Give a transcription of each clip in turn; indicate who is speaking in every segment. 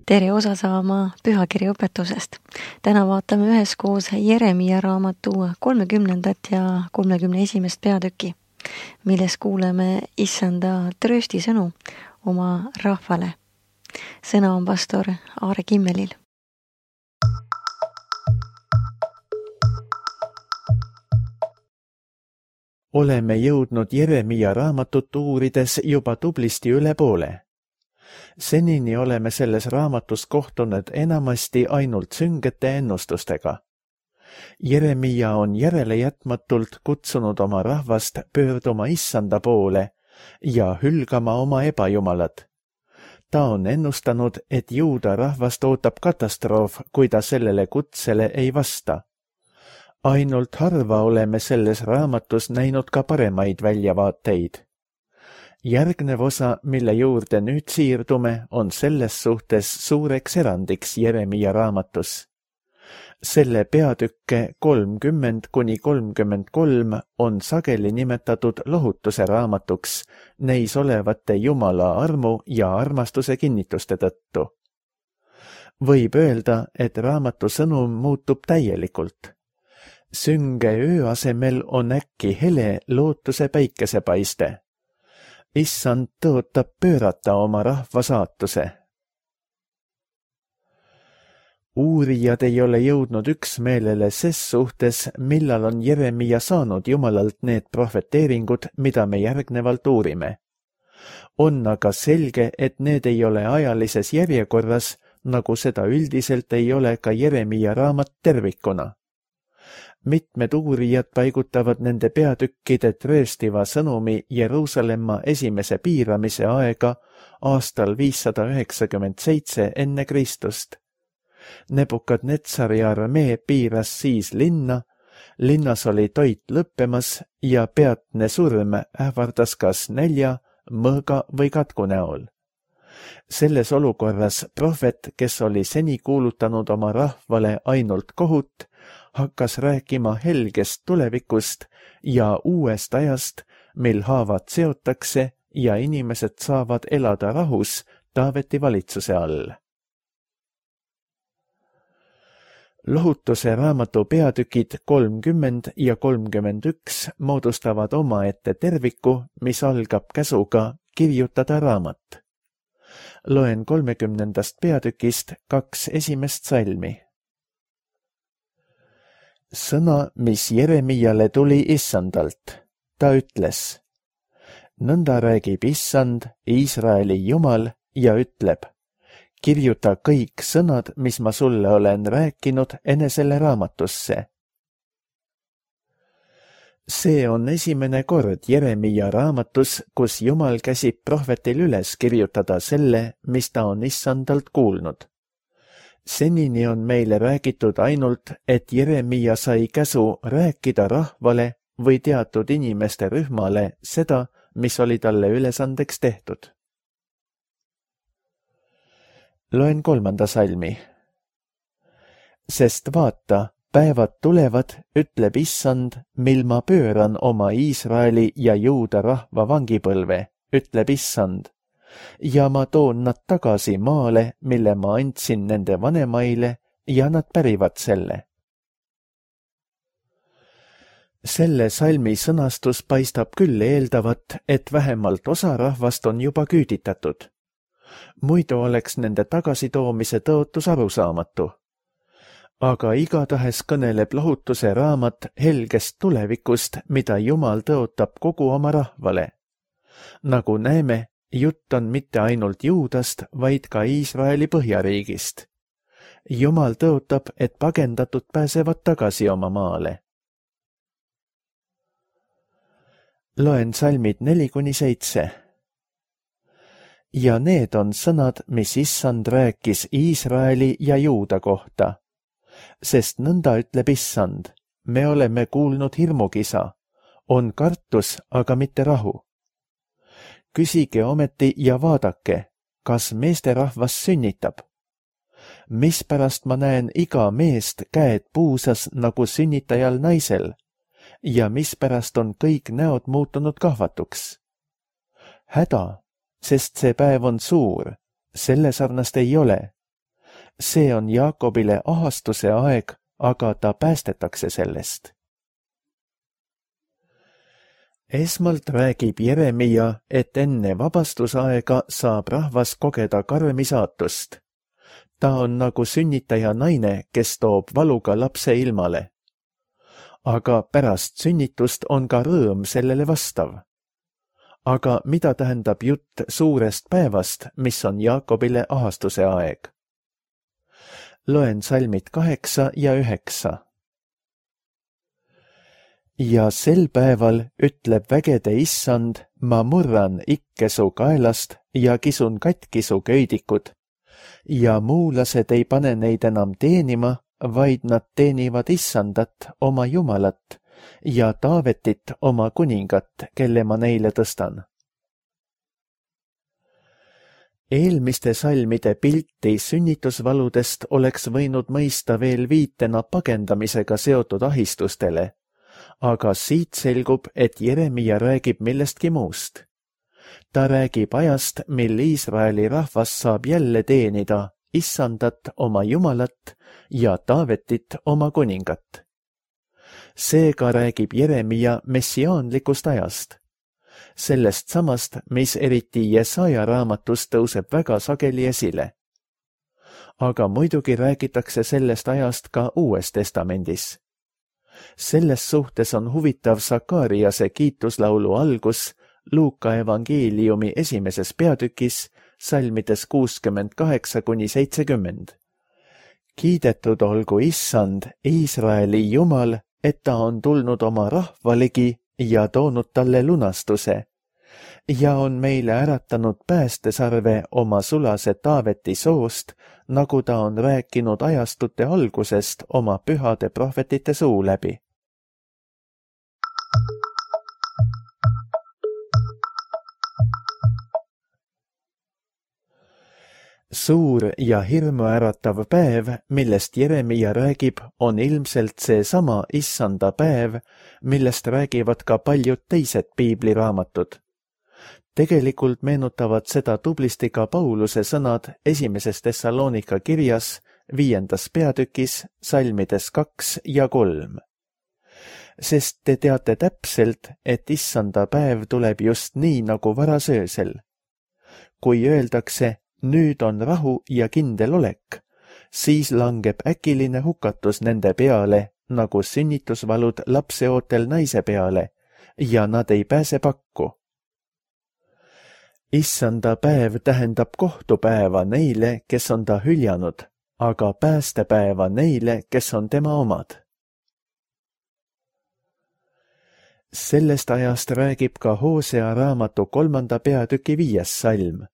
Speaker 1: Tere osa saama pühakirja õpetusest. Täna vaatame üheskoos Jeremia raamatu 30. ja 31. peatüki, milles kuuleme issanda trööstisõnu oma rahvale. Sõna on pastor Aare Kimmelil.
Speaker 2: Oleme jõudnud Jeremia raamatut uurides juba tublisti üle poole. Senini oleme selles raamatus kohtunud enamasti ainult süngete ennustustega. Jeremia on järelejätmatult kutsunud oma rahvast pöörduma issanda poole ja hülgama oma ebajumalad. Ta on ennustanud, et juuda rahvast ootab katastroof, kui ta sellele kutsele ei vasta. Ainult harva oleme selles raamatus näinud ka paremaid väljavaateid. Järgnev osa, mille juurde nüüd siirdume, on selles suhtes suureks erandiks Jeremia raamatus. Selle peatükke 30–33 on sageli nimetatud lohutuse raamatuks neis olevate Jumala armu ja armastuse kinnituste tõttu. Võib öelda, et raamatu sõnum muutub täielikult. Sünge öö asemel on äkki hele lootuse päikesepaiste. Issand tõotab pöörata oma rahva saatuse. Uurijad ei ole jõudnud üksmeelele ses suhtes, millal on Jeremia saanud Jumalalt need profeteeringud, mida me järgnevalt uurime. On aga selge, et need ei ole ajalises järjekorras, nagu seda üldiselt ei ole ka Jeremia raamat tervikuna. Mitmed uurijad paigutavad nende peatükkide trööstiva sõnumi Jeruusalemma esimese piiramise aega aastal 597 enne Kristust. Nebukadnetsari armee piiras siis linna, linnas oli toit lõppemas ja peatne surm ähvardas kas nälja, mõõga või katku näol. Selles olukorras prohvet, kes oli seni kuulutanud oma rahvale ainult kohut, hakkas rääkima helgest tulevikust ja uuest ajast, mil haavad seotakse ja inimesed saavad elada rahus Taaveti valitsuse all. Lohutuse raamatu peatükid 30 ja 31 moodustavad omaette terviku, mis algab käsuga kirjutada raamat. Loen 30. peatükist 2 esimest salmi. Sõna, mis Jeremiale tuli issandalt. Ta ütles, nõnda räägib issand, Iisraeli Jumal, ja ütleb, kirjuta kõik sõnad, mis ma sulle olen rääkinud, enesele raamatusse. See on esimene kord Jeremia raamatus, kus Jumal käsib prohvetil üles kirjutada selle, mis ta on issandalt kuulnud. Senini on meile räägitud ainult, et Jeremia sai käsu rääkida rahvale või teatud inimeste rühmale seda, mis oli talle ülesandeks tehtud. Loen 3. salmi. Sest vaata, päevad tulevad, ütleb issand, mil ma pööran oma Iisraeli ja Juuda rahva vangipõlve, ütleb issand, ja ma toon nad tagasi maale, mille ma andsin nende vanemaile, ja nad pärivad selle. Selle salmi sõnastus paistab küll eeldavat, et vähemalt osa rahvast on juba küüditatud. Muidu oleks nende tagasitoomise tõotus arusaamatu. Aga igatahes kõneleb lohutuse raamat helgest tulevikust, mida Jumal tõotab kogu oma rahvale. Nagu näeme, jutt on mitte ainult Juudast, vaid ka Iisraeli põhjariigist. Jumal tõotab, et pagendatud pääsevad tagasi oma maale. Loen salmid 4–7. Ja need on sõnad, mis issand rääkis Iisraeli ja Juuda kohta. Sest nõnda ütleb issand, me oleme kuulnud hirmukisa, on kartus, aga mitte rahu. Küsige ometi ja vaadake, kas meesterahvas sünnitab. Mispärast ma näen iga meest käed puusas nagu sünnitajal naisel ja mispärast on kõik näod muutunud kahvatuks. Häda, sest see päev on suur, selle sarnast ei ole, See on Jaakobile ahastuse aeg, aga ta päästetakse sellest. Esmalt räägib Jeremia, et enne vabastusaega saab rahvas kogeda karmi saatust. Ta on nagu sünnitaja naine, kes toob valuga lapse ilmale. Aga pärast sünnitust on ka rõõm sellele vastav. Aga mida tähendab jutt suurest päevast, mis on Jaakobile ahastuse aeg? Loen salmid 8 ja 9. Ja sel päeval ütleb vägede issand, ma murran ikke su kaelast ja kisun katki su köidikud. Ja muulased ei pane neid enam teenima, vaid nad teenivad issandat, oma Jumalat, ja Taavetit, oma kuningat, kelle ma neile tõstan. Eelmiste salmide pilti sünnitusvaludest oleks võinud mõista veel viitena pagendamisega seotud ahistustele, aga siit selgub, et Jeremia räägib millestki muust. Ta räägib ajast, mil Iisraeli rahvas saab jälle teenida issandat, oma Jumalat, ja Taavetit, oma kuningat. Seega räägib Jeremia messiaanlikust ajast. Sellest samast, mis eriti Jesaja raamatus tõuseb väga sageli esile. Aga muidugi räägitakse sellest ajast ka Uues Testamendis. Selles suhtes on huvitav Sakariase kiituslaulu algus Luuka evangeeliumi 1. peatükis, salmides 68–70. Kiidetud olgu issand, Iisraeli Jumal, et ta on tulnud oma rahva ligi ja toonud talle lunastuse ja on meile äratanud päästesarve oma sulase Taaveti soost, nagu ta on rääkinud ajastute algusest oma pühade prohvetite suu läbi. Suur ja hirmuäratav päev, millest Jeremia räägib, on ilmselt seesama issanda päev, millest räägivad ka paljud teised piibliraamatud. Tegelikult meenutavad seda tublisti ka Pauluse sõnad 1. Thessalonika kirjas 5. peatükis, salmides 2 ja 3. Sest te teate täpselt, et issanda päev tuleb just nii nagu varasöösel. Kui öeldakse, nüüd on rahu ja kindel olek, siis langeb äkiline hukatus nende peale, nagu sünnitusvalud lapseootel naise peale, ja nad ei pääse pakku. Issanda päev tähendab kohtupäeva neile, kes on ta hüljanud, aga päästepäeva neile, kes on tema omad. Sellest ajast räägib ka Hosea raamatu 3. peatüki 5. salm.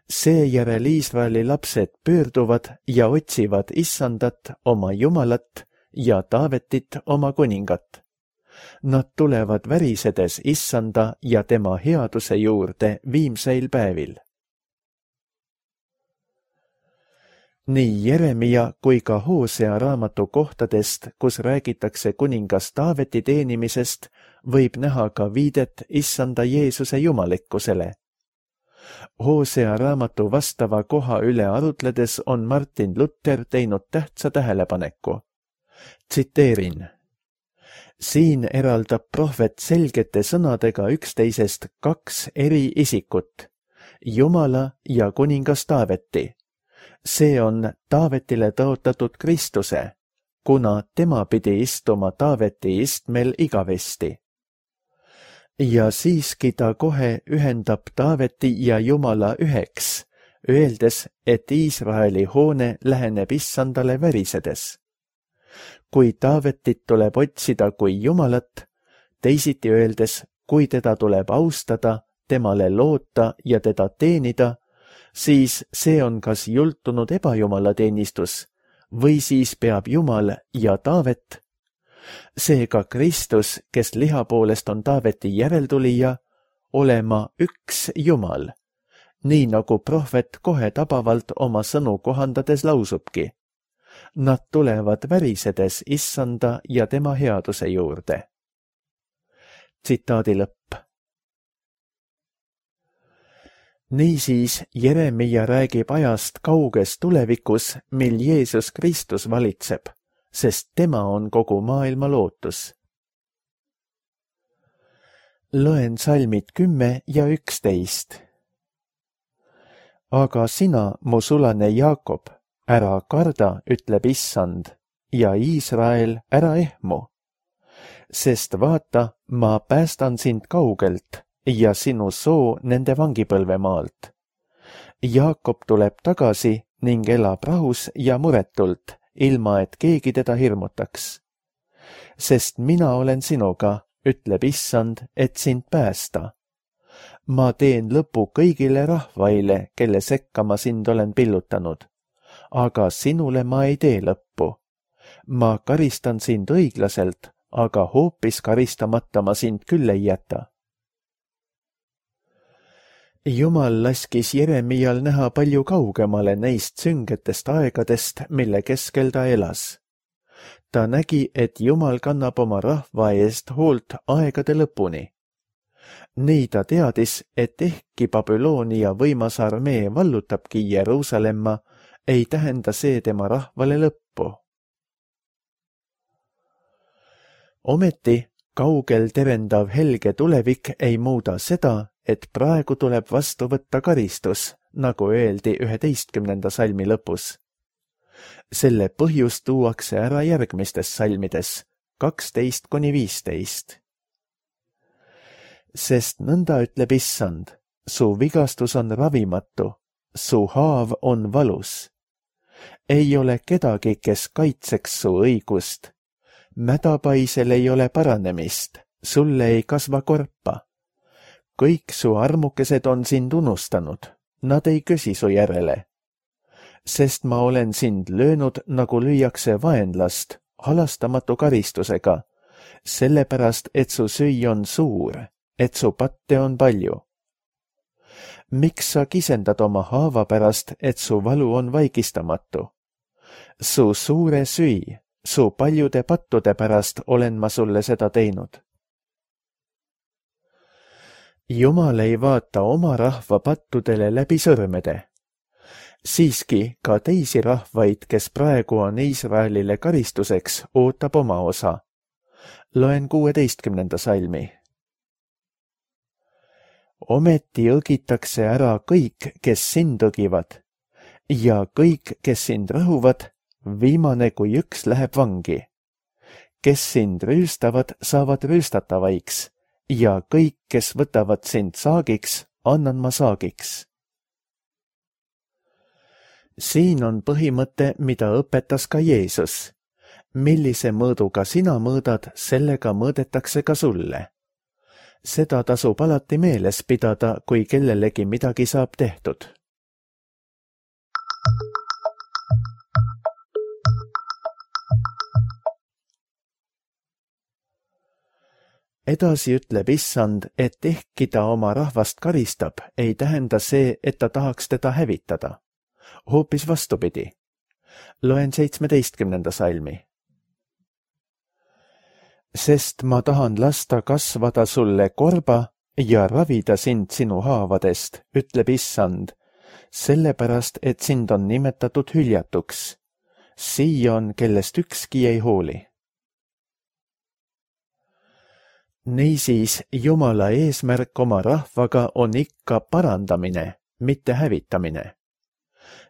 Speaker 2: Seejärel Iisraeli lapsed pöörduvad ja otsivad issandat, oma Jumalat, ja Taavetit, oma kuningat. Nad tulevad värisedes issanda ja tema headuse juurde viimseil päevil. Nii Jeremia kui ka Hosea raamatu kohtadest, kus räägitakse kuningas Taaveti teenimisest, võib näha ka viidet issanda Jeesuse jumalikkusele. Hosea raamatu vastava koha üle arutledes on Martin Luther teinud tähtsa tähelepaneku. Tsiteerin. Siin eraldab prohvet selgete sõnadega üksteisest kaks eri isikut, Jumala ja kuningas Taaveti. See on Taavetile tõotatud Kristuse, kuna tema pidi istuma Taaveti istmel igavesti. Ja siiski ta kohe ühendab Taaveti ja Jumala üheks, öeldes, et Iisraeli hoone läheneb issandale värisedes. Kui Taavetit tuleb otsida kui Jumalat, teisiti öeldes, kui teda tuleb austada, temale loota ja teda teenida, siis see on kas jultunud ebajumalateenistus või siis peab Jumal ja Taavet. Seega Kristus, kes liha poolest on Taaveti järeltulija, olema üks Jumal, nii nagu prohvet kohe tabavalt oma sõnu kohandades lausubki. Nad tulevad värisedes issanda ja tema headuse juurde. Tsitaadi lõpp. Niisiis Jeremia räägib ajast kauges tulevikus, mil Jeesus Kristus valitseb, sest tema on kogu maailma lootus. Loen salmid 10 ja 11. Aga sina, mu sulane Jaakob, ära karda, ütleb Issand, ja Iisrael, ära ehmu. Sest vaata, ma päästan sind kaugelt ja sinu soo nende vangipõlvemaalt. Jaakob tuleb tagasi ning elab rahus ja muretult, ilma et keegi teda hirmutaks. Sest mina olen sinuga, ütleb Issand, et sind päästa. Ma teen lõpu kõigile rahvaile, kelle sekka ma sind olen pillutanud. Aga sinule ma ei tee lõppu. Ma karistan sind õiglaselt, aga hoopis karistamata ma sind küll ei jäta. Jumal laskis Jeremial näha palju kaugemale neist süngetest aegadest, mille keskel ta elas. Ta nägi, et Jumal kannab oma rahva eest hoolt aegade lõpuni. Nii ta teadis, et ehkki Babyloonia võimas armee vallutabki Jeruusalemma, ei tähenda see tema rahvale lõppu. Ometi kaugel terendav helge tulevik ei muuda seda, et praegu tuleb vastu võtta karistus, nagu öeldi 11. salmi lõpus. Selle põhjus tuuakse ära järgmistes salmides 12–15. Sest nõnda ütleb Issand, su vigastus on ravimatu, su haav on valus. Ei ole kedagi, kes kaitseks su õigust. Mädapaisel ei ole paranemist, sulle ei kasva korpa. Kõik su armukesed on sind unustanud, nad ei küsi su järele. Sest ma olen sind löönud, nagu lüüakse vaenlast, halastamatu karistusega, sellepärast, et su süü on suur, et su patte on palju. Miks sa kisendad oma haava pärast, et su valu on vaigistamatu? Su suure süü, su paljude pattude pärast olen ma sulle seda teinud. Jumal ei vaata oma rahva pattudele läbi sõrmede. Siiski ka teisi rahvaid, kes praegu on Iisraelile karistuseks, ootab oma osa. Loen 16. salmi. Ometi õgitakse ära kõik, kes sind õgivad, ja kõik, kes sind rõhuvad, viimane kui üks läheb vangi. Kes sind rüüstavad, saavad rüüstatavaiks, ja kõik, kes võtavad sind saagiks, annan ma saagiks. Siin on põhimõte, mida õpetas ka Jeesus. Millise mõõduga sina mõõdad, sellega mõõdetakse ka sulle. Seda tasub alati meeles pidada, kui kellelegi midagi saab tehtud. Edasi ütleb Issand, et ehkki ta oma rahvast karistab, ei tähenda see, et ta tahaks teda hävitada. Hoopis vastupidi. Loen 17. salmi. Sest ma tahan lasta kasvada sulle korba ja ravida sind sinu haavadest, ütleb Issand, sellepärast, et sind on nimetatud hüljatuks. Siion, kellest ükski ei hooli. Niisiis, Jumala eesmärk oma rahvaga on ikka parandamine, mitte hävitamine.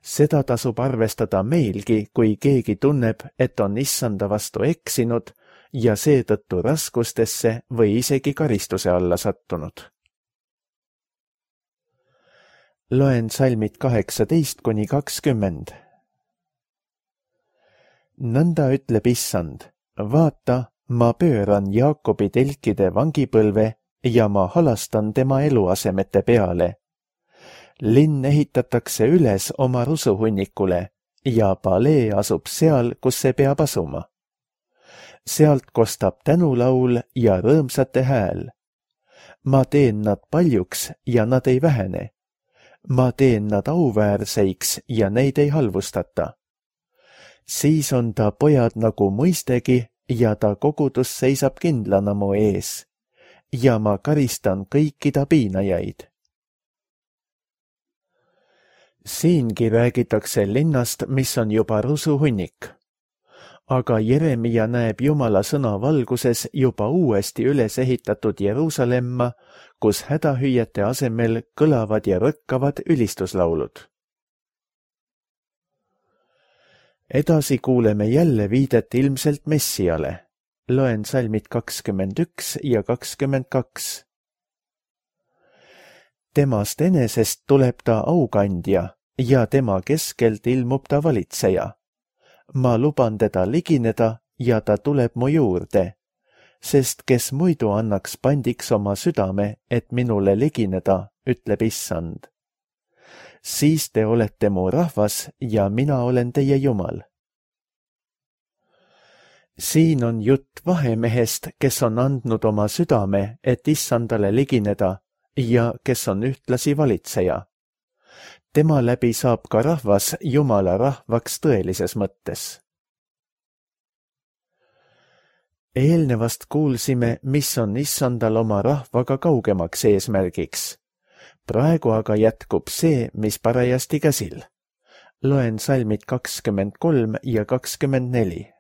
Speaker 2: Seda tasub arvestada meilgi, kui keegi tunneb, et on Issanda vastu eksinud ja seetõttu raskustesse või isegi karistuse alla sattunud. Loen salmid 18–20. Nõnda ütleb Issand, vaata, ma pööran Jaakobi telkide vangipõlve ja ma halastan tema eluasemete peale. Linn ehitatakse üles oma rusuhunnikule ja palee asub seal, kus see peab asuma. Sealt kostab tänulaul ja rõõmsate hääl. Ma teen nad paljuks ja nad ei vähene. Ma teen nad auväärseiks ja neid ei halvustata. Siis on ta pojad nagu mõistegi ja ta kogudus seisab kindlana mu ees. Ja ma karistan kõiki ta piinajaid. Siingi räägitakse linnast, mis on juba rusuhunnik. Aga Jeremia näeb Jumala sõna valguses juba uuesti üles ehitatud Jeruusalemma, kus hädahüüete asemel kõlavad ja rõkkavad ülistuslaulud. Edasi kuuleme jälle viidet ilmselt Messiale. Loen salmid 21 ja 22. Temast enesest tuleb ta aukandja ja tema keskelt ilmub ta valitseja. Ma luban teda ligineda ja ta tuleb mu juurde, sest kes muidu annaks pandiks oma südame, et minule ligineda, ütleb Issand. Siis te olete mu rahvas ja mina olen teie Jumal. Siin on jutt vahemehest, kes on andnud oma südame, et Issandale ligineda ja kes on ühtlasi valitseja. Tema läbi saab ka rahvas Jumala rahvaks tõelises mõttes. Eelnevast kuulsime, mis on Issandal oma rahvaga kaugemaks eesmärgiks. Praegu aga jätkub see, mis parajasti käsil. Loen salmid 23 ja 24.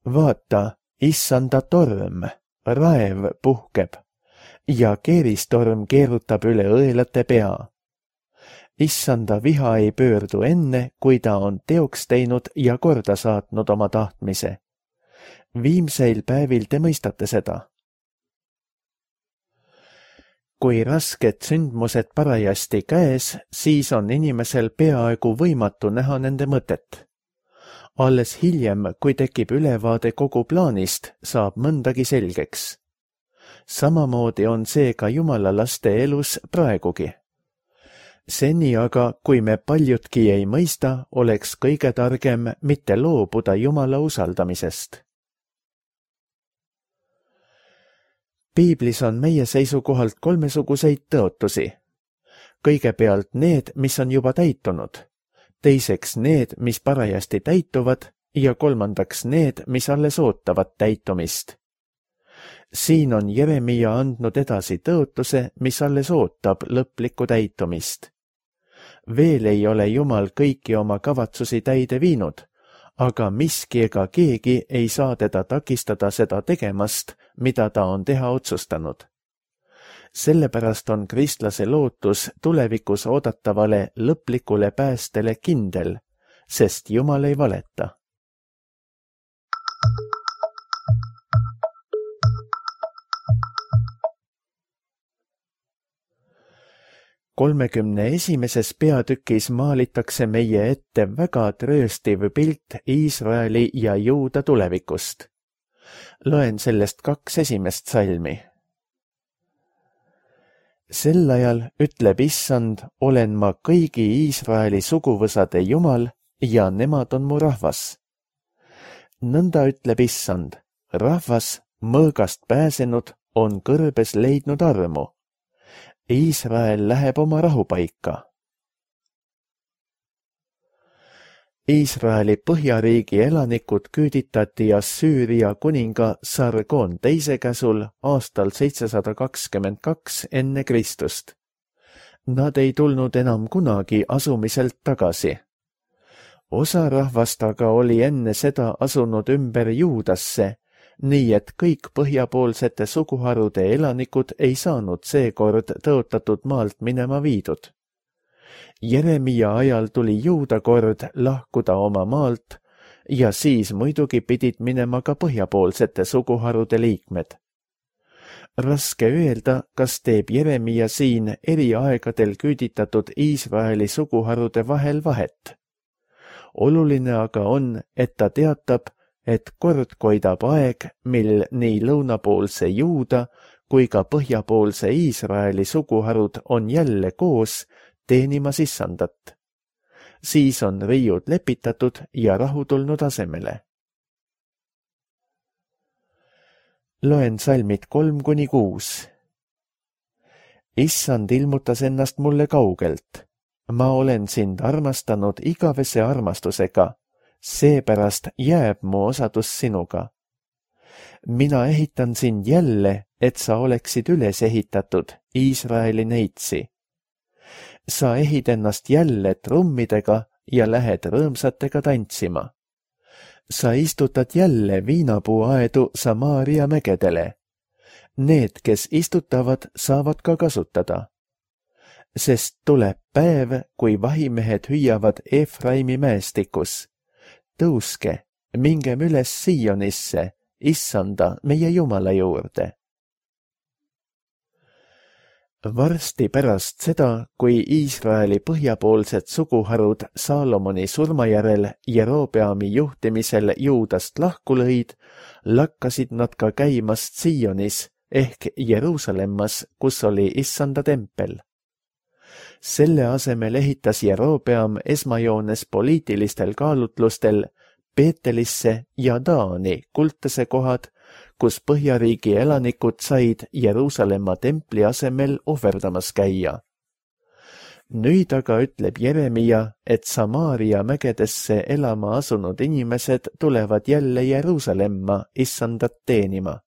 Speaker 2: Vaata, Issanda torm, raev puhkeb ja keeristorm keerutab üle õelate pea. Issanda viha ei pöördu enne, kui ta on teoks teinud ja korda saatnud oma tahtmise. Viimseil päevil te mõistate seda. Kui rasked sündmused parajasti käes, siis on inimesel peaaegu võimatu näha nende mõtet. Alles hiljem, kui tekib ülevaade kogu plaanist, saab mõndagi selgeks. Samamoodi on see ka Jumala laste elus praegugi. Seni aga, kui me paljutki ei mõista, oleks kõige targem mitte loobuda Jumala usaldamisest. Piiblis on meie seisukohalt kolmesuguseid tõotusi. Kõigepealt need, mis on juba täitunud, teiseks need, mis parajasti täituvad ja kolmandaks need, mis alles ootavad täitumist. Siin on Jeremia andnud edasi tõotuse, mis alles ootab lõplikku täitumist. Veel ei ole Jumal kõiki oma kavatsusi täide viinud, aga miski ega keegi ei saa teda takistada seda tegemast, mida ta on teha otsustanud. Sellepärast on kristlase lootus tulevikus oodatavale lõplikule päästele kindel, sest Jumal ei valeta. Kolmekümne esimeses peatükis maalitakse meie ette väga trööstiv pilt Iisraeli ja Juuda tulevikust. Loen sellest 2 esimest salmi. Sel ajal, ütleb Issand, olen ma kõigi Iisraeli suguvõsade Jumal ja nemad on mu rahvas. Nõnda ütleb Issand, rahvas, mõõgast pääsenud, on kõrbes leidnud armu. Iisrael läheb oma rahupaika. Iisraeli põhjariigi elanikud küüditati Assüüria kuninga Sargon teise käsul aastal 722 enne Kristust. Nad ei tulnud enam kunagi asumiselt tagasi. Osa rahvast aga oli enne seda asunud ümber Juudasse, nii et kõik põhjapoolsete suguharude elanikud ei saanud seekord tõotatud maalt minema viidud. Jeremia ajal tuli Juuda kord lahkuda oma maalt ja siis muidugi pidid minema ka põhjapoolsete suguharude liikmed. Raske öelda, kas teeb Jeremia siin eri aegadel küüditatud Iisraeli suguharude vahel vahet. Oluline aga on, et ta teatab, et kord koidab aeg, mil nii lõunapoolse Juuda kui ka põhjapoolse Iisraeli suguharud on jälle koos teenimas Issandat. Siis on riiud lepitatud ja rahu tulnud asemele. Loen salmid 3-6. Issand ilmutas ennast mulle kaugelt. Ma olen sind armastanud igavese armastusega. Seepärast jääb mu osadus sinuga. Mina ehitan sind jälle, et sa oleksid üles ehitatud, Iisraeli neitsi. sa ehid ennast jälle trummidega ja lähed rõõmsatega tantsima. Sa istutad jälle viinapuuaedu Samaaria mägedele. Need, kes istutavad, saavad ka kasutada. Sest tuleb päev, kui vahimehed hüüavad Efraimi mäestikus. Tõuske, mingem üles Sionisse, Issanda meie Jumala juurde. Varsti pärast seda, kui Iisraeli põhjapoolsed suguharud Saalomoni surmajärel Jerobeami juhtimisel Juudast lahku lõid, lakkasid nad ka käimast Sionis ehk Jeruusalemmas, kus oli Issanda tempel. Selle asemel ehitas Jerobeam esmajoones poliitilistel kaalutlustel Beetelisse ja Daani kultase kohad, kus Põhjariigi elanikud said Jeruusalemma templi asemel ohverdamas käia. Nüüd aga ütleb Jeremia, et Samaaria mägedesse elama asunud inimesed tulevad jälle Jeruusalemma Issandat teenima.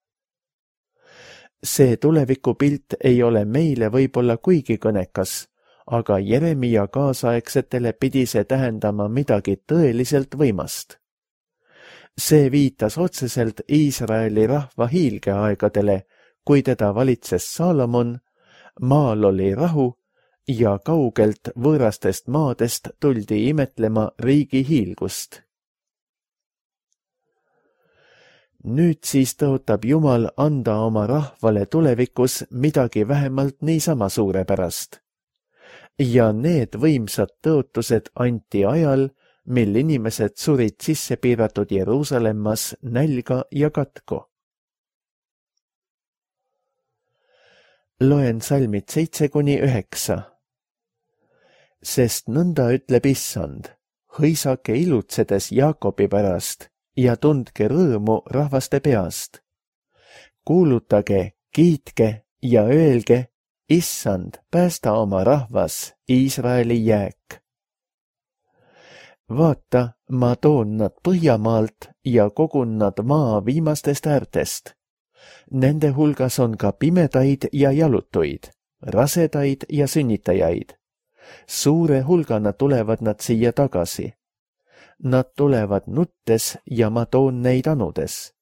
Speaker 2: See tulevikupilt ei ole meile võib-olla kuigi kõnekas, aga Jeremia kaasaegsetele pidi see tähendama midagi tõeliselt võimast. See viitas otseselt Iisraeli rahva hiilgeaegadele, kui teda valitses Saalomon, maal oli rahu ja kaugelt võõrastest maadest tuldi imetlema riigi hiilgust. Nüüd siis tõotab Jumal anda oma rahvale tulevikus midagi vähemalt niisama suurepärast. Ja need võimsad tõotused anti ajal, mil inimesed surid sisse piiratud Jeruusalemmas nälga ja katku. Loen salmid 7-9. Sest nõnda ütleb Issand, hõisake ilutsedes Jaakobi pärast ja tundke rõõmu rahvaste peast. Kuulutage, kiitke ja öelge, Issand, päästa oma rahvas, Iisraeli jääk. Vaata, ma toon nad Põhjamaalt ja kogun nad maa viimastest äärtest. Nende hulgas on ka pimedaid ja jalutuid, rasedaid ja sünnitajaid. Suure hulgana tulevad nad siia tagasi. Nad tulevad nuttes ja ma toon neid anudes.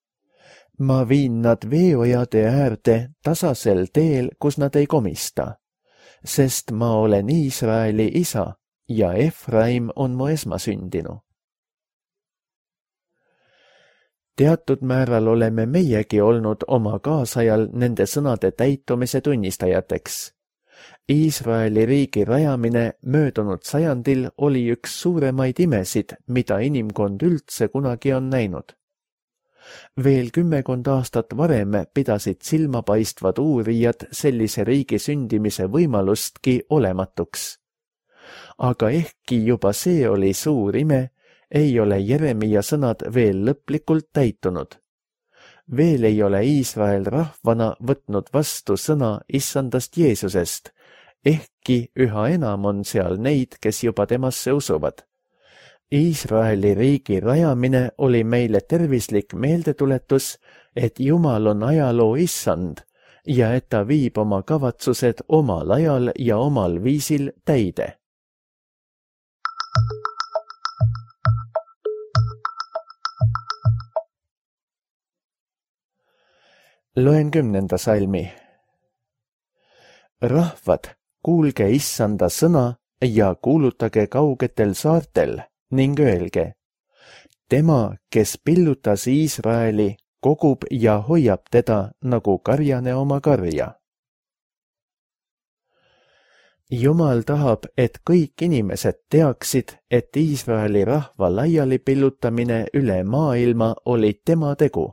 Speaker 2: Ma viin nad veeojade äärde tasasel teel, kus nad ei komista, sest ma olen Iisraeli isa ja Efraim on mu esmasündinu. Teatud määral oleme meiegi olnud oma kaasajal nende sõnade täitumise tunnistajateks. Iisraeli riigi rajamine möödunud sajandil oli üks suuremaid imesid, mida inimkond üldse kunagi on näinud. Veel 10 aastat varem pidasid silmapaistvad uurijad sellise riigi sündimise võimalustki olematuks. Aga ehkki juba see oli suur ime, ei ole Jeremia sõnad veel lõplikult täitunud. Veel ei ole Iisrael rahvana võtnud vastu sõna Issandast Jeesusest, ehkki üha enam on seal neid, kes juba temasse usuvad. Iisraeli riigi rajamine oli meile tervislik meeldetuletus, et Jumal on ajaloo Issand ja et ta viib oma kavatsused omal ajal ja omal viisil täide. Loen 10. salmi. Rahvad, kuulge Issanda sõna ja kuulutage kaugetel saartel ning öelge, tema, kes pillutas Iisraeli, kogub ja hoiab teda nagu karjane oma karja. Jumal tahab, et kõik inimesed teaksid, et Iisraeli rahva laiali pillutamine üle maailma oli tema tegu.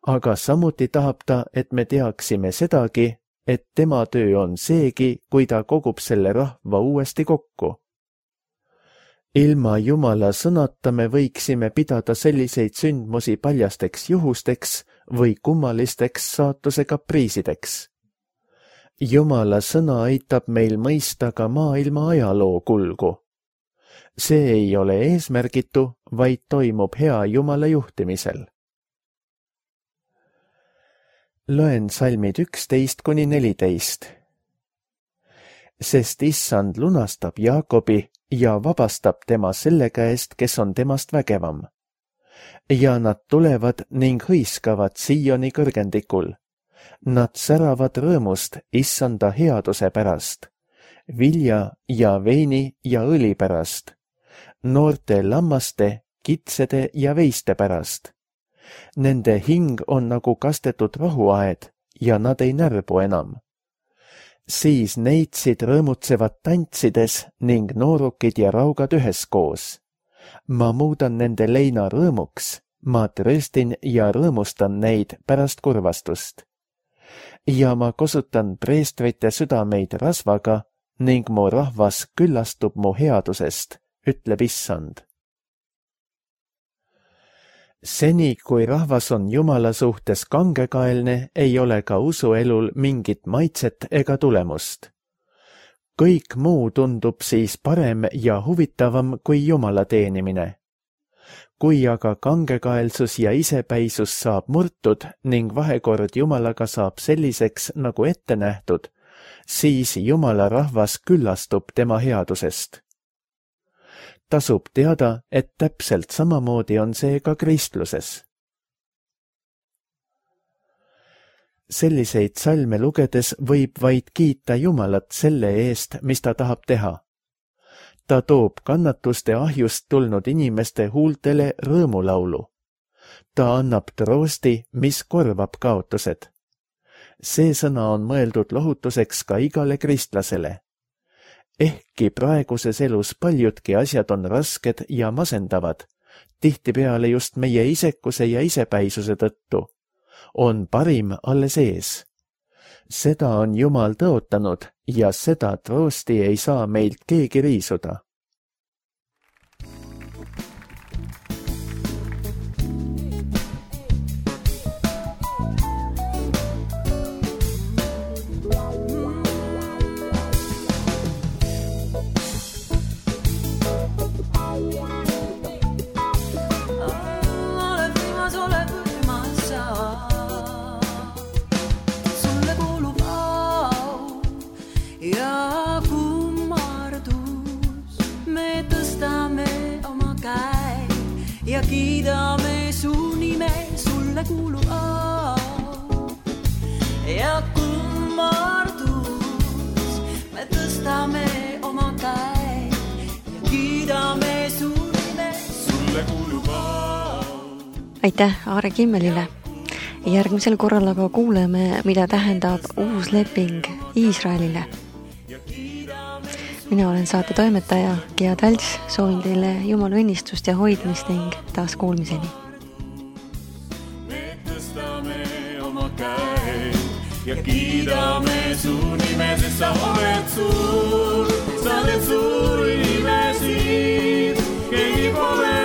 Speaker 2: Aga samuti tahab ta, et me teaksime sedagi, et tema töö on seegi, kui ta kogub selle rahva uuesti kokku. Ilma Jumala sõnata me võiksime pidada selliseid sündmusi paljasteks juhusteks või kummalisteks saatuse kapriisideks. Jumala sõna aitab meil mõista ka maailma ajaloo kulgu. See ei ole eesmärgitu, vaid toimub hea Jumala juhtimisel. Loen salmid 11-14. sest issand lunastab Jaakobi ja vabastab tema selle käest, kes on temast vägevam. Ja nad tulevad ning hõiskavad Sioni kõrgendikul. Nad säravad rõõmust issanda headuse pärast, vilja ja veini ja õli pärast, noorte lammaste, kitsede ja veiste pärast. Nende hing on nagu kastetud rohuaed ja nad ei närbu enam. Siis neitsid rõõmutsevad tantsides ning noorukid ja raugad üheskoos. Ma muudan nende leina rõõmuks, ma trööstin ja rõõmustan neid pärast kurvastust. Ja ma kosutan preestrite südameid rasvaga ning mu rahvas küllastub mu headusest, ütleb issand. Seni, kui rahvas on Jumala suhtes kangekaelne, ei ole ka usuelul mingit maitset ega tulemust. Kõik muu tundub siis parem ja huvitavam kui Jumala teenimine. Kui aga kangekaelsus ja isepäisus saab murtud ning vahekord Jumalaga saab selliseks, nagu ette nähtud, siis Jumala rahvas küllastub tema headusest. Tasub teada, et täpselt samamoodi on see ka kristluses. Selliseid salme lugedes võib vaid kiita Jumalat selle eest, mis ta tahab teha. Ta toob kannatuste ahjust tulnud inimeste huultele rõõmulaulu. Ta annab troosti, mis korvab kaotused. See sõna on mõeldud lohutuseks ka igale kristlasele. Ehkki praeguses elus paljudki asjad on rasked ja masendavad, tihtipeale just meie isekuse ja isepäisuse tõttu, on parim alles ees. Seda on Jumal tõotanud ja seda troosti ei saa meilt keegi riisuda.
Speaker 3: Ja kiidame su nime, sulle kuulub au. Ja kummardus, me tõstame oma käe ja kiidame su nime, sulle kuulub au.
Speaker 1: Aitäh Aare Kimmelile. Järgmisel korral aga kuuleme, mida tähendab uus leping Iisraelile. Mina olen saate toimetaja Gea Talts, soovin teile Jumala õnnistust ja hoidmist ning taas kuulmiseni.
Speaker 3: Me tõstame oma käe ja kiidame su nime, sest sa oled suur, sa oled suur nimesid, keegi pole